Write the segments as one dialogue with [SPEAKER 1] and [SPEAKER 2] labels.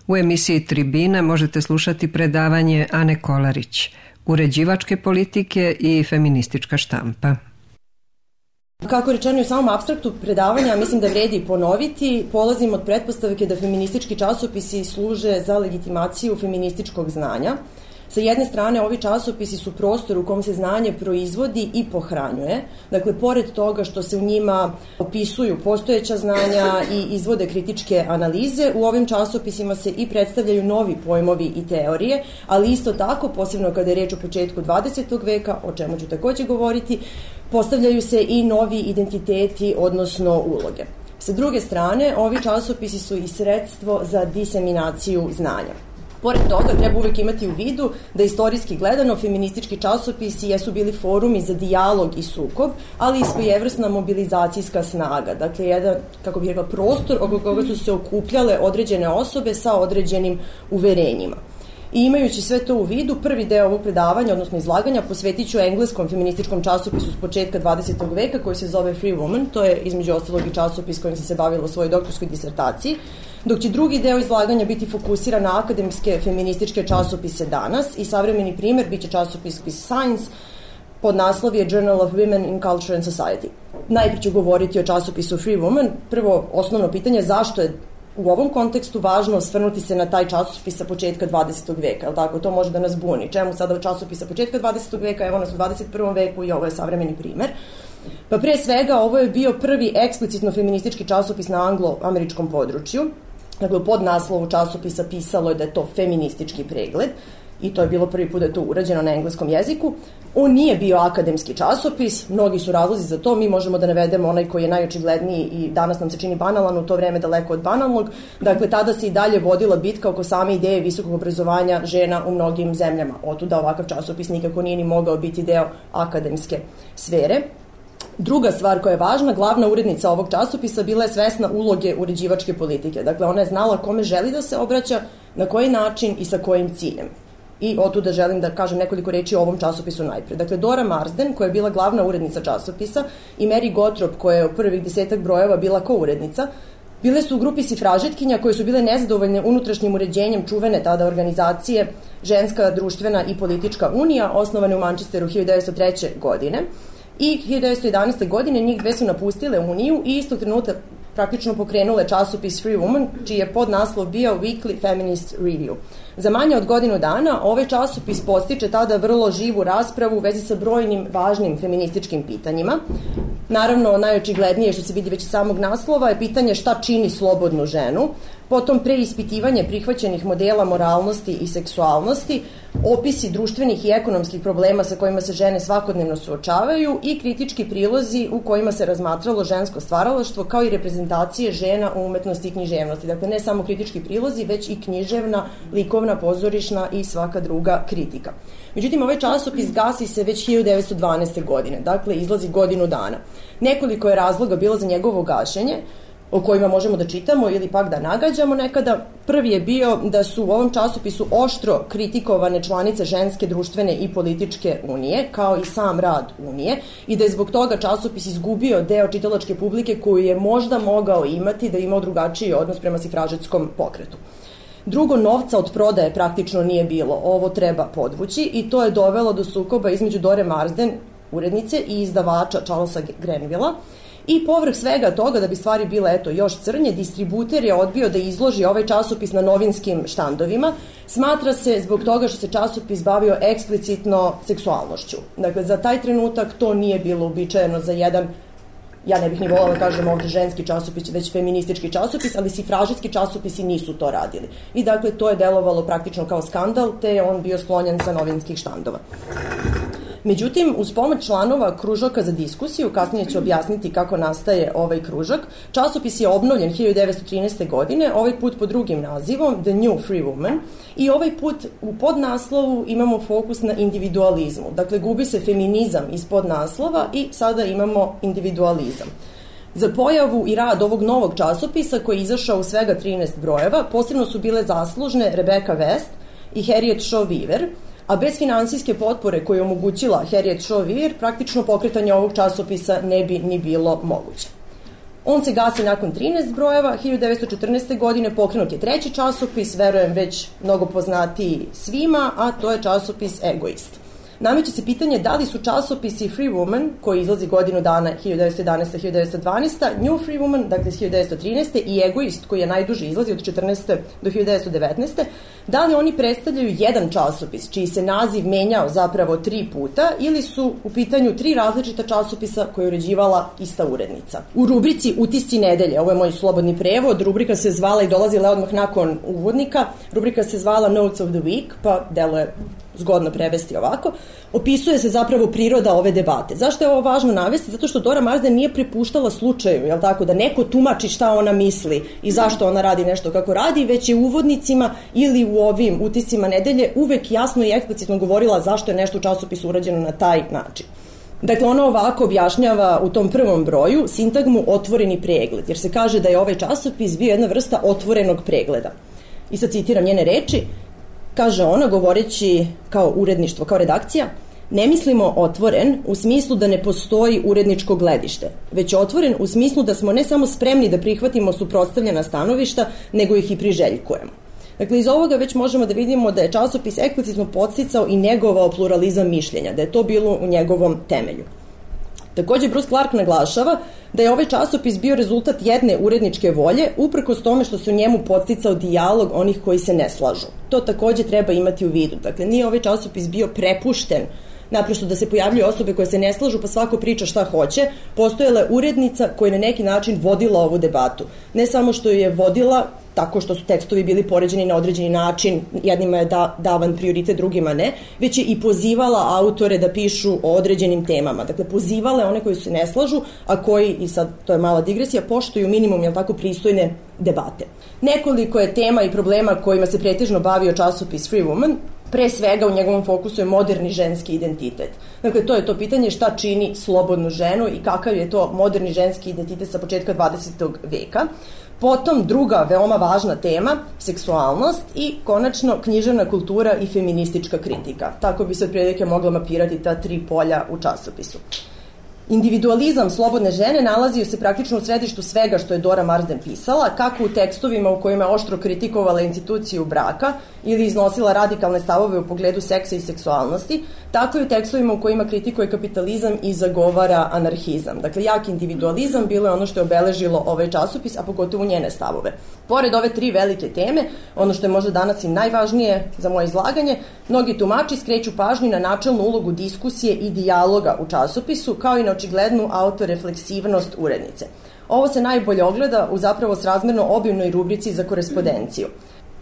[SPEAKER 1] U emisiji Tribina možete slušati predavanje Ane Kolarić, uređivačke politike i feministička štampa.
[SPEAKER 2] Kako rečeno u samom apstraktu predavanja, mislim da vredi ponoviti, polazim od pretpostavke da feministički časopisi služe za legitimaciju feminističkog znanja. Sa jedne strane, ovi časopisi su prostor u kom se znanje proizvodi i pohranjuje. Dakle, pored toga što se u njima opisuju postojeća znanja i izvode kritičke analize, u ovim časopisima se i predstavljaju novi pojmovi i teorije, ali isto tako, posebno kada je reč o početku 20. veka, o čemu ću takođe govoriti, postavljaju se i novi identiteti, odnosno uloge. Sa druge strane, ovi časopisi su i sredstvo za diseminaciju znanja. Pored toga, treba uvek imati u vidu da istorijski gledano feministički časopisi jesu bili forumi za dijalog i sukob, ali i svojevrsna mobilizacijska snaga. Dakle, jedan, kako bih rekla, prostor oko koga su se okupljale određene osobe sa određenim uverenjima. I imajući sve to u vidu, prvi deo ovog predavanja, odnosno izlaganja, posvetit ću engleskom feminističkom časopisu s početka 20. veka koji se zove Free Woman, to je između ostalog i časopis kojim sam se bavila u svojoj doktorskoj disertaciji, dok će drugi deo izlaganja biti fokusiran na akademske feminističke časopise danas i savremeni primer biće časopis Science, pod naslov je Journal of Women in Culture and Society. Najprije ću govoriti o časopisu Free Woman. Prvo, osnovno pitanje, zašto je u ovom kontekstu važno osvrnuti se na taj časopis sa početka 20. veka, je li tako? To može da nas buni. Čemu sada časopis sa početka 20. veka, evo nas u 21. veku i ovo je savremeni primer. Pa pre svega, ovo je bio prvi eksplicitno feministički časopis na anglo-američkom području. Dakle, u podnaslovu časopisa pisalo je da je to feministički pregled i to je bilo prvi put da je to urađeno na engleskom jeziku. On nije bio akademski časopis, mnogi su razlozi za to, mi možemo da navedemo onaj koji je najočigledniji i danas nam se čini banalan, u to vreme daleko od banalnog. Dakle, tada se i dalje vodila bitka oko same ideje visokog obrazovanja žena u mnogim zemljama. Otuda ovakav časopis nikako nije ni mogao biti deo akademske sfere. Druga stvar koja je važna, glavna urednica ovog časopisa bila je svesna uloge uređivačke politike. Dakle, ona je znala kome želi da se obraća, na koji način i sa kojim ciljem. I otuda želim da kažem nekoliko reči o ovom časopisu najpre. Dakle, Dora Marsden, koja je bila glavna urednica časopisa, i Mary Gottrop, koja je u prvih 10 brojeva bila ko-urednica, bile su u grupi sifražetkinja koje su bile nezadovoljne unutrašnjim uređenjem čuvene tada organizacije Ženska društvena i politička unija, osnovane u Manchesteru 1903. godine. I 1911. godine njih dve su napustile Uniju i istog trenutka praktično pokrenule časopis Free Woman, čiji je podnaslov bio Weekly Feminist Review. Za manje od godinu dana ovaj časopis postiče tada vrlo živu raspravu u vezi sa brojnim važnim feminističkim pitanjima. Naravno, najočiglednije što se vidi već iz samog naslova je pitanje šta čini slobodnu ženu, potom preispitivanje prihvaćenih modela moralnosti i seksualnosti, opisi društvenih i ekonomskih problema sa kojima se žene svakodnevno suočavaju i kritički prilozi u kojima se razmatralo žensko stvaralaštvo kao i reprezentacije žena u umetnosti i književnosti. Dakle, ne samo kritički prilozi, već i književna, likovna, pozorišna i svaka druga kritika. Međutim, ovaj časopis gasi se već 1912. godine, dakle, izlazi godinu dana. Nekoliko je razloga bilo za njegovo gašenje, o kojima možemo da čitamo ili pak da nagađamo nekada. Prvi je bio da su u ovom časopisu oštro kritikovane članice Ženske društvene i političke unije, kao i sam rad unije, i da je zbog toga časopis izgubio deo čitalačke publike koju je možda mogao imati da je imao drugačiji odnos prema sifražetskom pokretu. Drugo, novca od prodaje praktično nije bilo, ovo treba podvući, i to je dovelo do sukoba između Dore Marsden, urednice, i izdavača Charlesa Grenvilla. I povrh svega toga, da bi stvari bile još crnje, distributer je odbio da izloži ovaj časopis na novinskim štandovima. Smatra se zbog toga što se časopis bavio eksplicitno seksualnošću. Dakle, za taj trenutak to nije bilo uobičajeno za jedan, ja ne bih ni volala da kažem ovde ženski časopis, već feministički časopis, ali sifražetski časopisi nisu to radili. I dakle, to je delovalo praktično kao skandal, te je on bio sklonjen sa novinskih štandova. Međutim, uz pomoć članova kružoka za diskusiju, kasnije ću objasniti kako nastaje ovaj kružok, časopis je obnovljen 1913. godine, ovaj put pod drugim nazivom, The New Free Woman, i ovaj put u podnaslovu imamo fokus na individualizmu. Dakle, gubi se feminizam iz podnaslova i sada imamo individualizam. Za pojavu i rad ovog novog časopisa, koji je izašao u svega 13 brojeva, posebno su bile zaslužne Rebecca West i Harriet Shaw Weaver, a bez finansijske potpore koju je omogućila Harriet Shaw Weaver, praktično pokretanje ovog časopisa ne bi ni bilo moguće. On se gasi nakon 13 brojeva, 1914. godine pokrenut je treći časopis, verujem već mnogo poznatiji svima, a to je časopis Egoist. Nameće se pitanje da li su časopisi Free Woman, koji izlazi godinu dana 1911-1912, New Free Woman, dakle 1913. i Egoist, koji je najduži izlazi od 14. do 1919. Da li oni predstavljaju jedan časopis, čiji se naziv menjao zapravo 3 puta, ili su u pitanju 3 različita časopisa koje je uređivala ista urednica. U rubrici Utisci nedelje, ovo je moj slobodni prevod, rubrika se zvala i dolazila odmah nakon uvodnika, rubrika se zvala Notes of the Week, pa deluje zgodno prevesti ovako, opisuje se zapravo priroda ove debate. Zašto je ovo važno navesti? Zato što Dora Marsden nije prepuštala slučaju, jel tako, da neko tumači šta ona misli i zašto ona radi nešto kako radi, već je u uvodnicima ili u ovim utiscima nedelje uvek jasno i eksplicitno govorila zašto je nešto u časopisu urađeno na taj način. Dakle, ona ovako objašnjava u tom prvom broju sintagmu otvoreni pregled, jer se kaže da je ovaj časopis bio jedna vrsta otvorenog pregleda. I sad citiram njene reči. Kaže ona, govoreći kao uredništvo, kao redakcija, ne mislimo otvoren u smislu da ne postoji uredničko gledište, već otvoren u smislu da smo ne samo spremni da prihvatimo suprotstavljena stanovišta, nego ih i priželjkujemo. Dakle, iz ovoga već možemo da vidimo da je časopis eksplicitno podsticao i negovao pluralizam mišljenja, da je to bilo u njegovom temelju. Takođe, Bruce Clark naglašava da je ovaj časopis bio rezultat jedne uredničke volje, uprkos tome što se u njemu podsticao dijalog onih koji se ne slažu. To takođe treba imati u vidu. Dakle, nije ovaj časopis bio prepušten naprosto da se pojavljuju osobe koje se ne slažu, pa svako priča šta hoće. Postojala je urednica koja je na neki način vodila ovu debatu. Ne samo što je vodila tako što su tekstovi bili poređeni na određeni način, jednima je davan prioritet, drugima ne, već je i pozivala autore da pišu o određenim temama. Dakle, pozivala one koji se ne slažu, a koji, i sad to je mala digresija, poštuju minimum, jel tako, pristojne debate. Nekoliko je tema i problema kojima se pretežno bavio časopis Free Woman. Pre svega u njegovom fokusu je moderni ženski identitet. Dakle, to je to pitanje šta čini slobodnu ženu i kakav je to moderni ženski identitet sa početka 20. veka. Potom druga veoma važna tema, seksualnost i konačno književna kultura i feministička kritika. Tako bi se otprilike mogla mapirati ta 3 polja u časopisu. Individualizam slobodne žene nalazio se praktično u središtu svega što je Dora Marsden pisala, kako u tekstovima u kojima je oštro kritikovala instituciju braka ili iznosila radikalne stavove u pogledu seksa i seksualnosti, tako i u tekstovima u kojima kritikuje kapitalizam i zagovara anarhizam. Dakle, jak individualizam bilo je ono što je obeležilo ovaj časopis, a pogotovo njene stavove. Pored ove 3 velike teme, ono što je možda danas i najvažnije za moje izlaganje, mnogi tumači skreću pažnju na načelnu ulogu diskusije i dijaloga u časopisu, kao i na očiglednu autorefleksivnost urednice. Ovo se najbolje ogleda u zapravo srazmerno obimnoj rubrici za korespondenciju.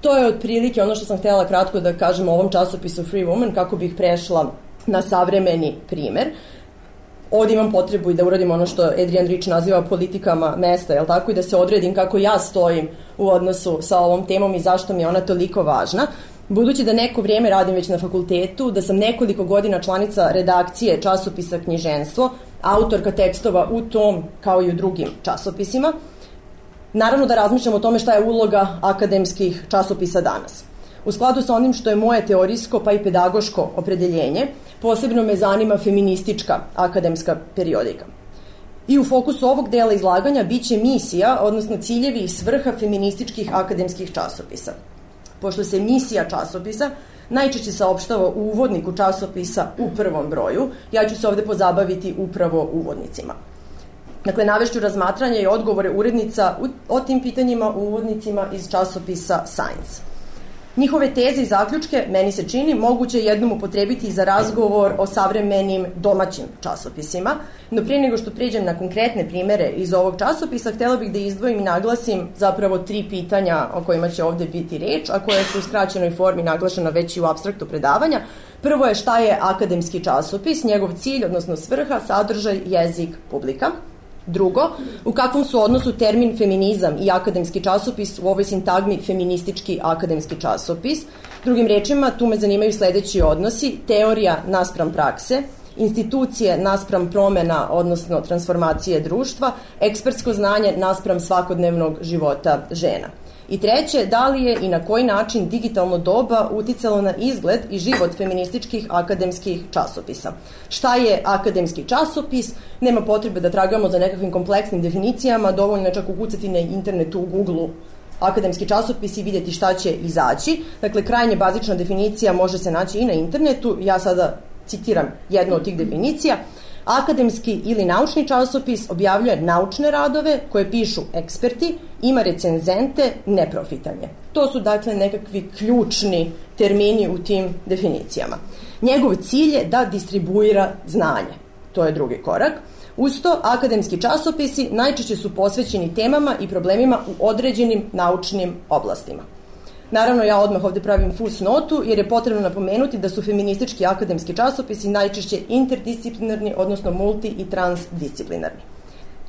[SPEAKER 2] To je otprilike ono što sam htjela kratko da kažem o ovom časopisu Free Woman, kako bih prešla na savremeni primer. Ovdje imam potrebu i da uradim ono što Adrienne Rich naziva politikama mesta, jel tako, i da se odredim kako ja stojim u odnosu sa ovom temom i zašto mi je ona toliko važna. Budući da neko vrijeme radim već na fakultetu, da sam nekoliko godina članica redakcije časopisa Knjiženstvo, autorka tekstova u tom kao i u drugim časopisima, naravno da razmišljam o tome šta je uloga akademskih časopisa danas. U skladu sa onim što je moje teorijsko pa i pedagoško opredeljenje, posebno me zanima feministička akademska periodika. I u fokusu ovog dela izlaganja biće misija, odnosno ciljevi i svrha feminističkih akademskih časopisa. Pošto se misija časopisa najčešće saopštava u uvodniku časopisa u prvom broju, ja ću se ovde pozabaviti upravo uvodnicima. Dakle, navešću razmatranje i odgovore urednica o tim pitanjima u uvodnicima iz časopisa Science. Njihove teze i zaključke, meni se čini, moguće jednom upotrebiti za razgovor o savremenim domaćim časopisima, no prije nego što pređem na konkretne primere iz ovog časopisa, htjela bih da izdvojim i naglasim zapravo 3 pitanja o kojima će ovde biti reč, a koje su u skraćenoj formi naglašena već i u apstraktu predavanja. Prvo je šta je akademski časopis, njegov cilj, odnosno svrha, sadržaj, jezik, publika. Drugo, u kakvom su odnosu termin feminizam i akademski časopis u ovoj sintagmi feministički akademski časopis. Drugim rečima, tu me zanimaju sledeći odnosi: teorija naspram prakse, institucije naspram promena, odnosno transformacije društva, ekspertsko znanje naspram svakodnevnog života žena. I treće, da li je i na koji način digitalno doba uticalo na izgled i život feminističkih akademskih časopisa. Šta je akademski časopis? Nema potrebe da tragamo za nekakvim kompleksnim definicijama, dovoljno je čak ukucati na internetu u Google-u akademski časopis i vidjeti šta će izaći. Dakle, krajnje bazična definicija može se naći i na internetu. Ja sada citiram jednu od tih definicija. Akademski ili naučni časopis objavljuje naučne radove koje pišu eksperti, ima recenzente, neprofitan je. To su dakle nekakvi ključni termini u tim definicijama. Njegov cilj je da distribuira znanje. To je drugi korak. Uz to, akademski časopisi najčešće su posvećeni temama i problemima u određenim naučnim oblastima. Naravno, ja odmah ovde pravim fusnotu jer je potrebno napomenuti da su feministički akademski časopisi najčešće interdisciplinarni, odnosno multi- i transdisciplinarni.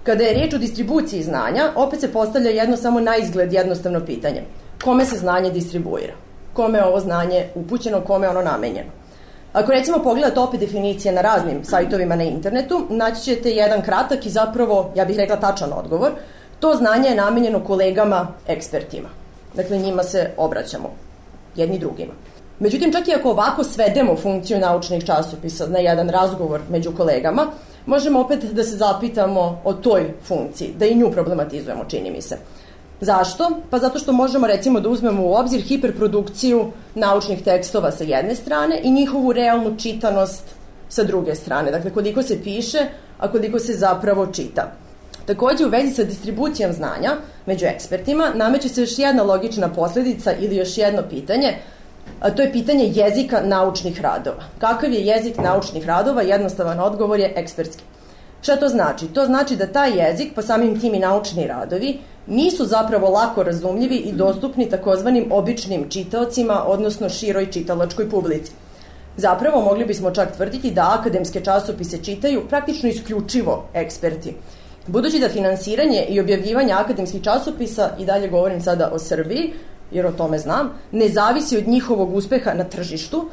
[SPEAKER 2] Kada je riječ o distribuciji znanja, opet se postavlja jedno samo na izgled jednostavno pitanje. Kome se znanje distribuira? Kome je ovo znanje upućeno, kome je ono namenjeno? Ako recimo pogledate opet definicije na raznim sajtovima na internetu, naći ćete jedan kratak i zapravo, ja bih rekla, tačan odgovor. To znanje je namenjeno kolegama, ekspertima. Dakle, njima se obraćamo, jedni drugima. Međutim, čak i ako ovako svedemo funkciju naučnih časopisa na jedan razgovor među kolegama, možemo opet da se zapitamo o toj funkciji, da i nju problematizujemo, čini mi se. Zašto? Pa zato što možemo recimo da uzmemo u obzir hiperprodukciju naučnih tekstova sa jedne strane i njihovu realnu čitanost sa druge strane. Dakle, koliko se piše, a koliko se zapravo čita. Takođe, u vezi sa distribucijom znanja među ekspertima nameće se još jedna logična posledica ili još jedno pitanje, a to je pitanje jezika naučnih radova. Kakav je jezik naučnih radova? Jednostavan odgovor je ekspertski. Šta to znači? To znači da taj jezik, pa samim tim i naučni radovi, nisu zapravo lako razumljivi i dostupni takozvanim običnim čitaocima, odnosno široj čitalačkoj publici. Zapravo, mogli bismo čak tvrditi da akademske časopise čitaju praktično isključivo eksperti. Budući da finansiranje i objavljivanje akademskih časopisa, i dalje govorim sada o Srbiji, jer o tome znam, ne zavisi od njihovog uspeha na tržištu,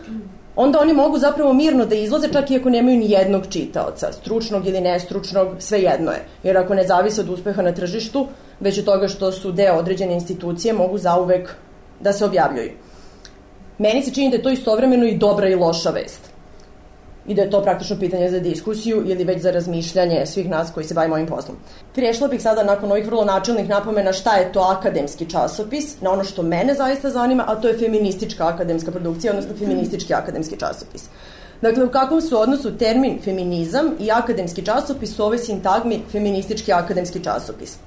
[SPEAKER 2] onda oni mogu zapravo mirno da izlaze čak i ako nemaju ni jednog čitaoca, stručnog ili nestručnog, svejedno je. Jer ako ne zavise od uspeha na tržištu, već od toga što su deo određene institucije, mogu zauvek da se objavljuju. Meni se čini da je to istovremeno i dobra i loša vest. I da je to praktično pitanje za diskusiju ili već za razmišljanje svih nas koji se bavimo ovim poslom. Prešla bih sada nakon ovih vrlo načelnih napomena šta je to akademski časopis, na ono što mene zaista zanima, a to je feministička akademska produkcija, odnosno feministički akademski časopis. Dakle, u kakvom su odnosu termin feminizam i akademski časopis u ovoj sintagmi feministički akademski časopis.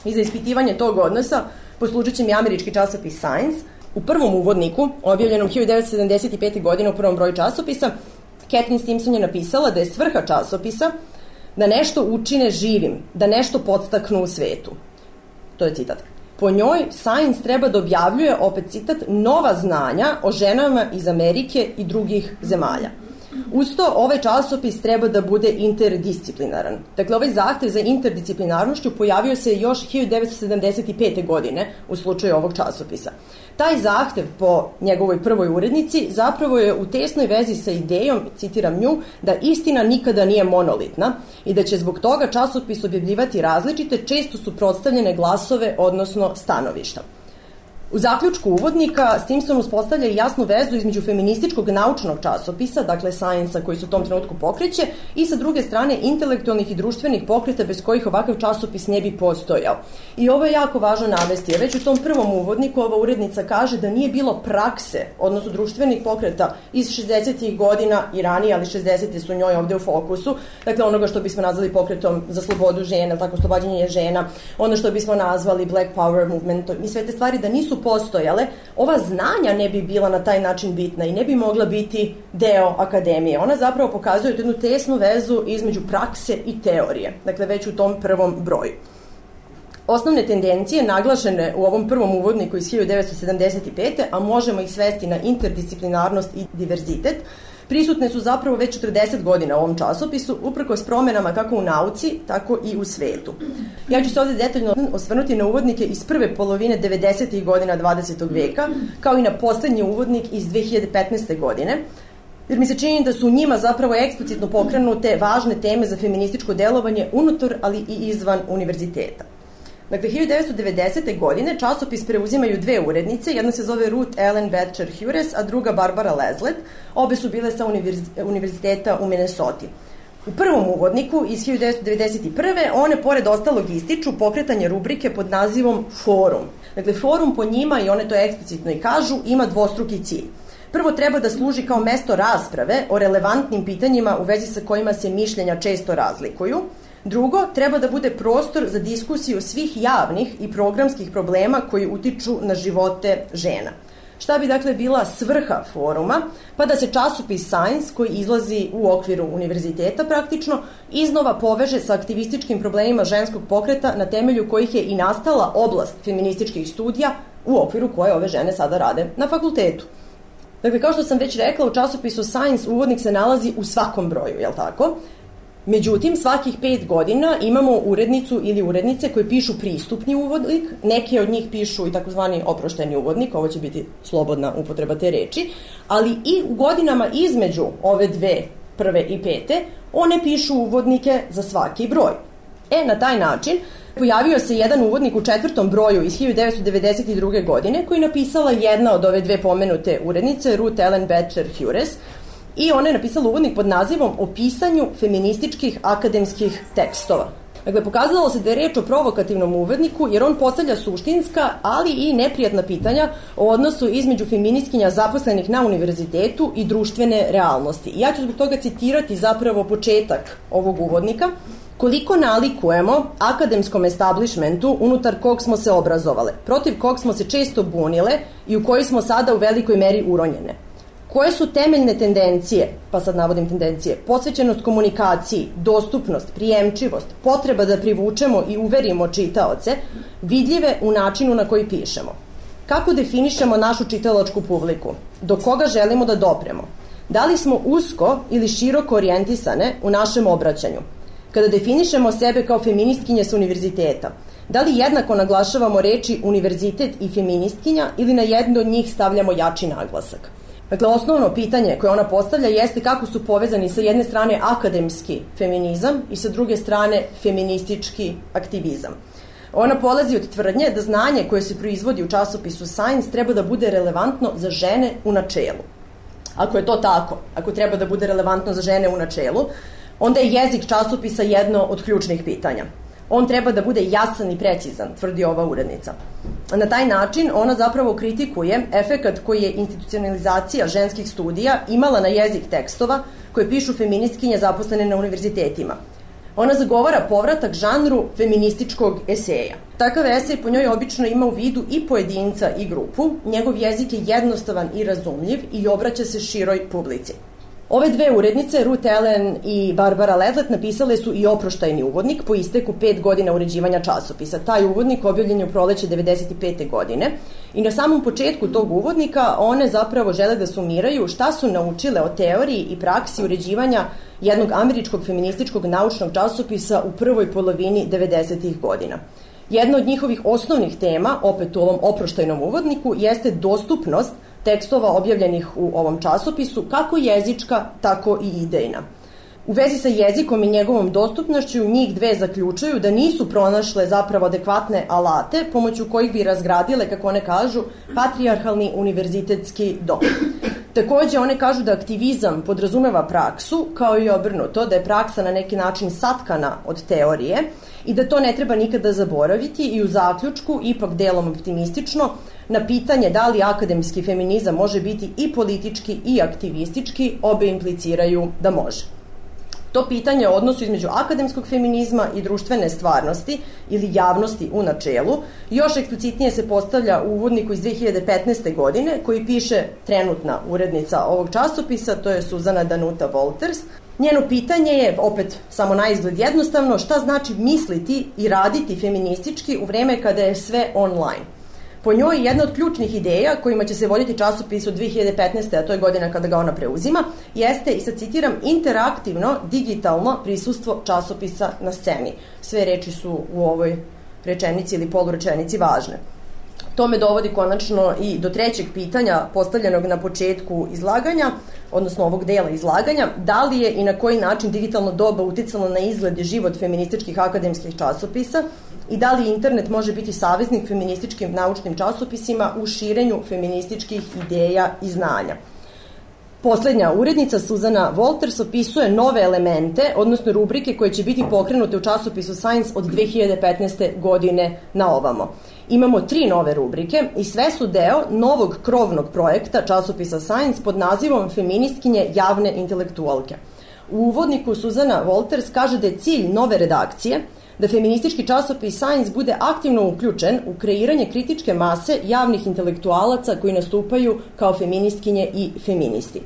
[SPEAKER 2] I za ispitivanje tog odnosa poslužit će mi američki časopis Science. U prvom uvodniku, objavljenom 1975. godine u prvom broju časopisa, Catherine Stimson je napisala da je svrha časopisa da nešto učine živim, da nešto podstaknu u svetu. To je citat. Po njoj, Science treba da objavljuje, opet citat, nova znanja o ženama iz Amerike i drugih zemalja. Uz to, ovaj časopis treba da bude interdisciplinaran. Dakle, ovaj zahtev za interdisciplinarnošću pojavio se još 1975. godine u slučaju ovog časopisa. Taj zahtev po njegovoj prvoj urednici zapravo je u tesnoj vezi sa idejom, citiram nju, da istina nikada nije monolitna i da će zbog toga časopis objavljivati različite, često suprotstavljene glasove, odnosno stanovišta. U zaključku uvodnika Stimson uspostavlja i jasnu vezu između feminističkog naučnog časopisa, dakle Science-a koji se u tom trenutku pokreće, i sa druge strane intelektualnih i društvenih pokreta bez kojih ovakav časopis ne bi postojao. I ovo je jako važno navesti, jer već u tom prvom uvodniku ova urednica kaže da nije bilo prakse, odnosno društvenih pokreta iz 60. godina i ranije, ali 60. su njoj ovde u fokusu, dakle onoga što bismo nazvali pokretom za slobodu žena, tako oslobađanje žena, ono što bismo nazvali Black Power movement, i sve te stvari da nisu postojale, ova znanja ne bi bila na taj način bitna i ne bi mogla biti deo akademije. Ona zapravo pokazuje jednu tesnu vezu između prakse i teorije, dakle već u tom prvom broju. Osnovne tendencije naglašene u ovom prvom uvodniku iz 1975. a možemo ih svesti na interdisciplinarnost i diverzitet, prisutne su zapravo već 40 godina u ovom časopisu, uprkos promenama kako u nauci, tako i u svetu. Ja ću se ovde detaljno osvrnuti na uvodnike iz prve polovine 90. godina 20. veka, kao i na poslednji uvodnik iz 2015. godine, jer mi se čini da su u njima zapravo eksplicitno pokrenute važne teme za feminističko delovanje unutar, ali i izvan univerziteta. Dakle, 1990. godine časopis preuzimaju dve urednice, jedna se zove Ruth Ellen Betcher Hures, a druga Barbara Leslet. Obe su bile sa univerziteta u Minnesoti. U prvom uvodniku iz 1991. one pored ostalog ističu pokretanje rubrike pod nazivom Forum. Dakle, forum po njima, i one to eksplicitno i kažu, ima dvostruki cilj. Prvo, treba da služi kao mesto rasprave o relevantnim pitanjima u vezi sa kojima se mišljenja često razlikuju. Drugo, treba da bude prostor za diskusiju svih javnih i programskih problema koji utiču na živote žena. Šta bi dakle bila svrha foruma? Pa da se časopis Science, koji izlazi u okviru univerziteta praktično, iznova poveže sa aktivističkim problemima ženskog pokreta na temelju kojih je i nastala oblast feminističkih studija u okviru koje ove žene sada rade na fakultetu. Dakle, kao što sam već rekla, u časopisu Science uvodnik se nalazi u svakom broju, jel tako? Međutim, svakih 5 godina imamo urednicu ili urednice koji pišu pristupni uvodnik, neke od njih pišu i takozvani oprošteni uvodnik, ovo će biti slobodna upotreba te reči, ali i u godinama između ove dve, prve i pete, one pišu uvodnike za svaki broj. Na taj način pojavio se jedan uvodnik u 4. broju iz 1992. godine koji je napisala jedna od ove dve pomenute urednice, Ruth Ellen Betcher Hures, i ona je napisala uvodnik pod nazivom O pisanju feminističkih akademskih tekstova. Dakle, pokazalo se da je reč o provokativnom uvodniku jer on postavlja suštinska, ali i neprijatna pitanja o odnosu između feministkinja zaposlenih na univerzitetu i društvene realnosti. Ja ću zbog toga citirati zapravo početak ovog uvodnika. Koliko nalikujemo akademskom establishmentu unutar kog smo se obrazovale, protiv kog smo se često bunile i u koji smo sada u velikoj meri uronjene. Koje su temeljne tendencije, pa sad navodim tendencije, posvećenost komunikaciji, dostupnost, prijemčivost, potreba da privučemo i uverimo čitaoce, vidljive u načinu na koji pišemo. Kako definišemo našu čitalačku publiku? Do koga želimo da dopremo? Da li smo usko ili široko orijentisane u našem obraćanju? Kada definišemo sebe kao feministkinje sa univerziteta, da li jednako naglašavamo reči univerzitet i feministkinja ili na jedno od njih stavljamo jači naglasak? Dakle, osnovno pitanje koje ona postavlja jeste kako su povezani sa jedne strane akademski feminizam i sa druge strane feministički aktivizam. Ona polazi od tvrdnje da znanje koje se proizvodi u časopisu Science treba da bude relevantno za žene u načelu. Ako je to tako, ako treba da bude relevantno za žene u načelu, onda je jezik časopisa jedno od ključnih pitanja. On treba da bude jasan i precizan, tvrdi ova urednica. Na taj način ona zapravo kritikuje efekat koji je institucionalizacija ženskih studija imala na jezik tekstova koje pišu feministkinje zaposlene na univerzitetima. Ona zagovara povratak žanru feminističkog eseja. Takav esej po njoj obično ima u vidu i pojedinca i grupu, njegov jezik je jednostavan i razumljiv i obraća se široj publici. Ove dve urednice, Ruth Ellen i Barbara Leslet, napisale su i oproštajni uvodnik po isteku 5 godina uređivanja časopisa. Taj uvodnik objavljen je u proleće 1995. godine i na samom početku tog uvodnika one zapravo žele da sumiraju šta su naučile o teoriji i praksi uređivanja jednog američkog feminističkog naučnog časopisa u prvoj polovini 90. godina. Jedna od njihovih osnovnih tema, opet u ovom oproštajnom uvodniku, jeste dostupnost tekstova objavljenih u ovom časopisu, kako jezička, tako i idejna. U vezi sa jezikom i njegovom dostupnošću njih dve zaključuju da nisu pronašle zapravo adekvatne alate pomoću kojih bi razgradile, kako one kažu, patrijarhalni univerzitetski dom. Takođe, one kažu da aktivizam podrazumeva praksu, kao i obrnuto, da je praksa na neki način satkana od teorije i da to ne treba nikada zaboraviti i u zaključku, ipak delom optimistično, na pitanje da li akademski feminizam može biti i politički i aktivistički, obe impliciraju da može. To pitanje o odnosu između akademskog feminizma i društvene stvarnosti ili javnosti u načelu još eksplicitnije se postavlja u uvodniku iz 2015. godine koji piše trenutna urednica ovog časopisa, to je Suzana Danuta Wolters. Njeno pitanje je, opet samo na izgled jednostavno, šta znači misliti i raditi feministički u vreme kada je sve online. Po njoj jedna od ključnih ideja kojima će se voditi časopis od 2015. a to je godina kada ga ona preuzima, jeste, i sad citiram, interaktivno, digitalno prisustvo časopisa na sceni. Sve reči su u ovoj rečenici ili polurečenici važne. To me dovodi konačno i do trećeg pitanja postavljenog na početku izlaganja, odnosno ovog dela izlaganja, da li je i na koji način digitalno doba uticalo na izgled i život feminističkih akademskih časopisa. i da li internet može biti saveznik feminističkim naučnim časopisima u širenju feminističkih ideja i znanja. Poslednja urednica, Suzana Wolters, opisuje nove elemente, odnosno rubrike koje će biti pokrenute u časopisu Science od 2015. godine na ovamo. Imamo 3 nove rubrike i sve su deo novog krovnog projekta časopisa Science pod nazivom Feministkinje javne intelektualke. U uvodniku Suzana Wolters kaže da je cilj nove redakcije da feministički časopis Science bude aktivno uključen u kreiranje kritičke mase javnih intelektualaca koji nastupaju kao feministkinje i feministi.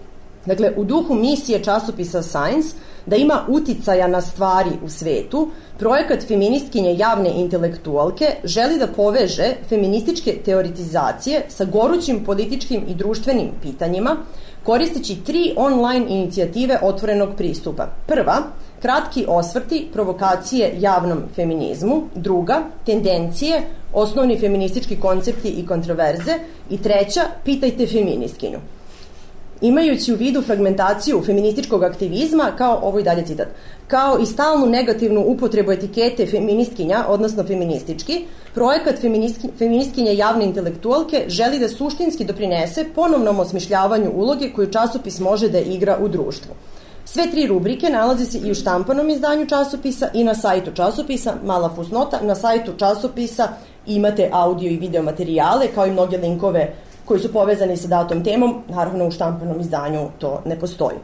[SPEAKER 2] Dakle, u duhu misije časopisa Science da ima uticaja na stvari u svetu, projekat feministkinje javne intelektualke želi da poveže feminističke teoretizacije sa gorućim političkim i društvenim pitanjima, koristeći 3 online inicijative otvorenog pristupa. Prva, kratki osvrti, provokacije javnom feminizmu. Druga, tendencije, osnovni feministički koncepti i kontroverze. I treća, pitajte feministkinju. Imajući u vidu fragmentaciju feminističkog aktivizma, ovo je dalje citat, kao i stalnu negativnu upotrebu etikete feministkinja, odnosno feministički, projekat feministkinje javne intelektualke želi da suštinski doprinese ponovnom osmišljavanju uloge koju časopis može da igra u društvu. Sve 3 rubrike nalaze se i u štampanom izdanju časopisa i na sajtu časopisa. Mala fusnota, na sajtu časopisa imate audio i video materijale, kao i mnoge linkove koji su povezani sa datom temom. Naravno, u štampanom izdanju to ne postoji.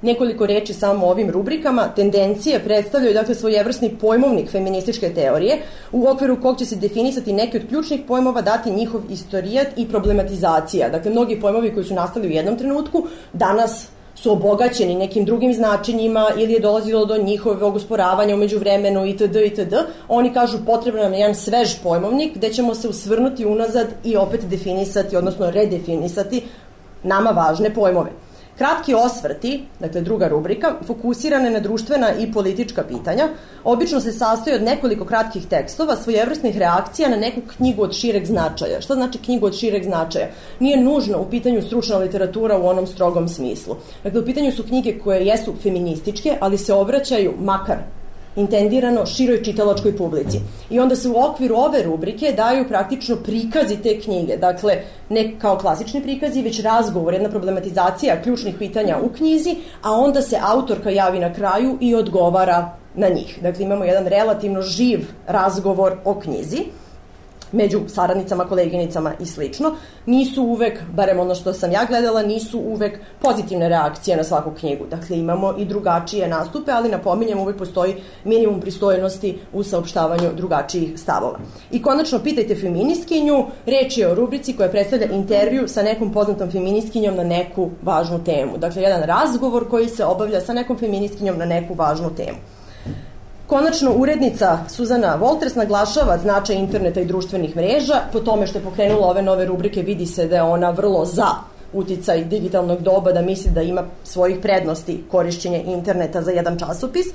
[SPEAKER 2] Nekoliko reči samo o ovim rubrikama. Tendencije predstavljaju dakle svojevrsni pojmovnik feminističke teorije u okviru kog će se definisati neki od ključnih pojmova, dati njihov istorijat i problematizacija. Dakle, mnogi pojmovi koji su nastali u jednom trenutku danas su obogaćeni nekim drugim značenjima ili je dolazilo do njihovog osporavanja umeđu vremenu itd. Oni kažu potrebno nam je jedan svež pojmovnik gde ćemo se usvrnuti unazad i opet definisati, odnosno redefinisati nama važne pojmove. Kratki osvrti, dakle druga rubrika, fokusirane na društvena i politička pitanja, obično se sastoji od nekoliko kratkih tekstova, svojevrsnih reakcija na neku knjigu od šireg značaja. Šta znači knjigu od šireg značaja? Nije nužno u pitanju stručna literatura u onom strogom smislu. Dakle, u pitanju su knjige koje jesu feminističke, ali se obraćaju makar intendirano široj čitalačkoj publici. I onda se u okviru ove rubrike daju praktično prikazi te knjige. Dakle, ne kao klasični prikazi, već razgovor, jedna problematizacija ključnih pitanja u knjizi, a onda se autorka javi na kraju i odgovara na njih. Dakle, imamo jedan relativno živ razgovor o knjizi među saradnicama, koleginicama i slično. Nisu uvek, barem ono što sam ja gledala, nisu uvek pozitivne reakcije na svaku knjigu. Dakle, imamo i drugačije nastupe, ali napominjem, uvek postoji minimum pristojnosti u saopštavanju drugačijih stavova. I konačno, pitajte feministkinju, reč je o rubrici koja predstavlja intervju sa nekom poznatom feministkinjom na neku važnu temu. Dakle, jedan razgovor koji se obavlja sa nekom feministkinjom na neku važnu temu. Konačno, urednica Suzana Wolters naglašava značaj interneta i društvenih mreža. Po tome što je pokrenula ove nove rubrike vidi se da je ona vrlo za uticaj digitalnog doba, da misli da ima svojih prednosti korišćenje interneta za jedan časopis.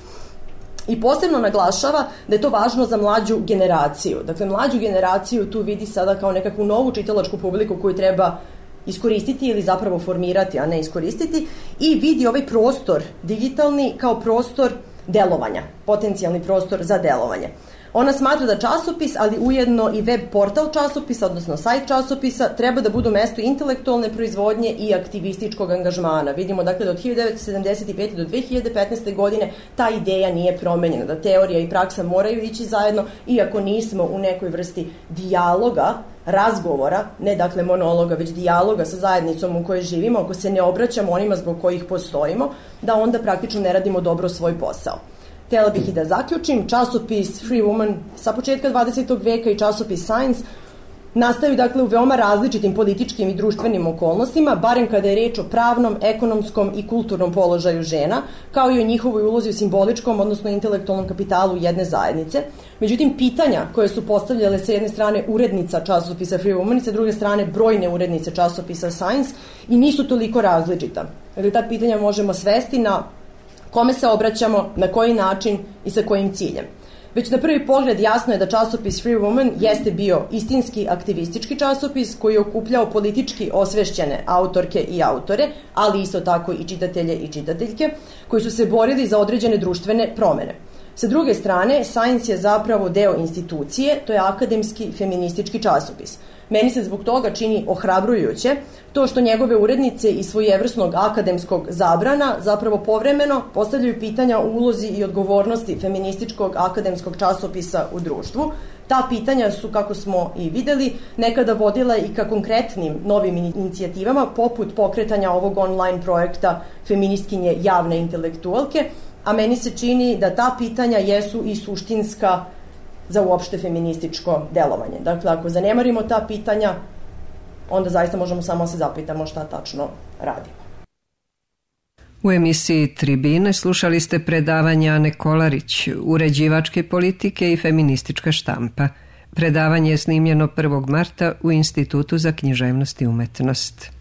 [SPEAKER 2] I posebno naglašava da je to važno za mlađu generaciju. Dakle, mlađu generaciju tu vidi sada kao nekakvu novu čitalačku publiku koju treba iskoristiti ili zapravo formirati, a ne iskoristiti, i vidi ovaj prostor digitalni kao prostor delovanja, potencijalni prostor za delovanje. Ona smatra da časopis, ali ujedno i web portal časopisa, odnosno sajt časopisa, treba da budu mesto intelektualne proizvodnje i aktivističkog angažmana. Vidimo dakle da od 1975. do 2015. godine ta ideja nije promenjena, da teorija i praksa moraju ići zajedno, iako nismo u nekoj vrsti dijaloga, razgovora, ne dakle monologa, već dijaloga sa zajednicom u kojoj živimo, ako se ne obraćamo onima zbog kojih postojimo, da onda praktično ne radimo dobro svoj posao. Htjela bih i da zaključim, časopis Free Woman sa početka 20. veka i časopis Science nastaju dakle u veoma različitim političkim i društvenim okolnostima, barem kada je reč o pravnom, ekonomskom i kulturnom položaju žena, kao i o njihovoj ulozi u simboličkom, odnosno intelektualnom kapitalu jedne zajednice. Međutim, pitanja koje su postavljale sa jedne strane urednica časopisa Free Woman i sa druge strane brojne urednice časopisa Science i nisu toliko različita. Dakle, ta pitanja možemo svesti na kome se obraćamo, na koji način i sa kojim ciljem. Već na prvi pogled jasno je da časopis Free Woman jeste bio istinski aktivistički časopis koji je okupljao politički osvešćene autorke i autore, ali isto tako i čitatelje i čitateljke, koji su se borili za određene društvene promene. Sa druge strane, Science je zapravo deo institucije, to je akademski feministički časopis. Meni se zbog toga čini ohrabrujuće to što njegove urednice iz svojevrsnog akademskog zabrana zapravo povremeno postavljaju pitanja o ulozi i odgovornosti feminističkog akademskog časopisa u društvu. Ta pitanja su, kako smo i videli, nekada vodila i ka konkretnim novim inicijativama, poput pokretanja ovog online projekta Feministkinje javne intelektualke, a meni se čini da ta pitanja jesu i suštinska za uopšte feminističko delovanje. Dakle, ako zanemarimo ta pitanja, onda zaista možemo samo se zapitamo šta tačno radimo.
[SPEAKER 1] U emisiji Tribine slušali ste predavanje Ane Kolarić, uređivačke politike i feministička štampa. Predavanje je snimljeno 1. marta u Institutu za književnost i umetnost.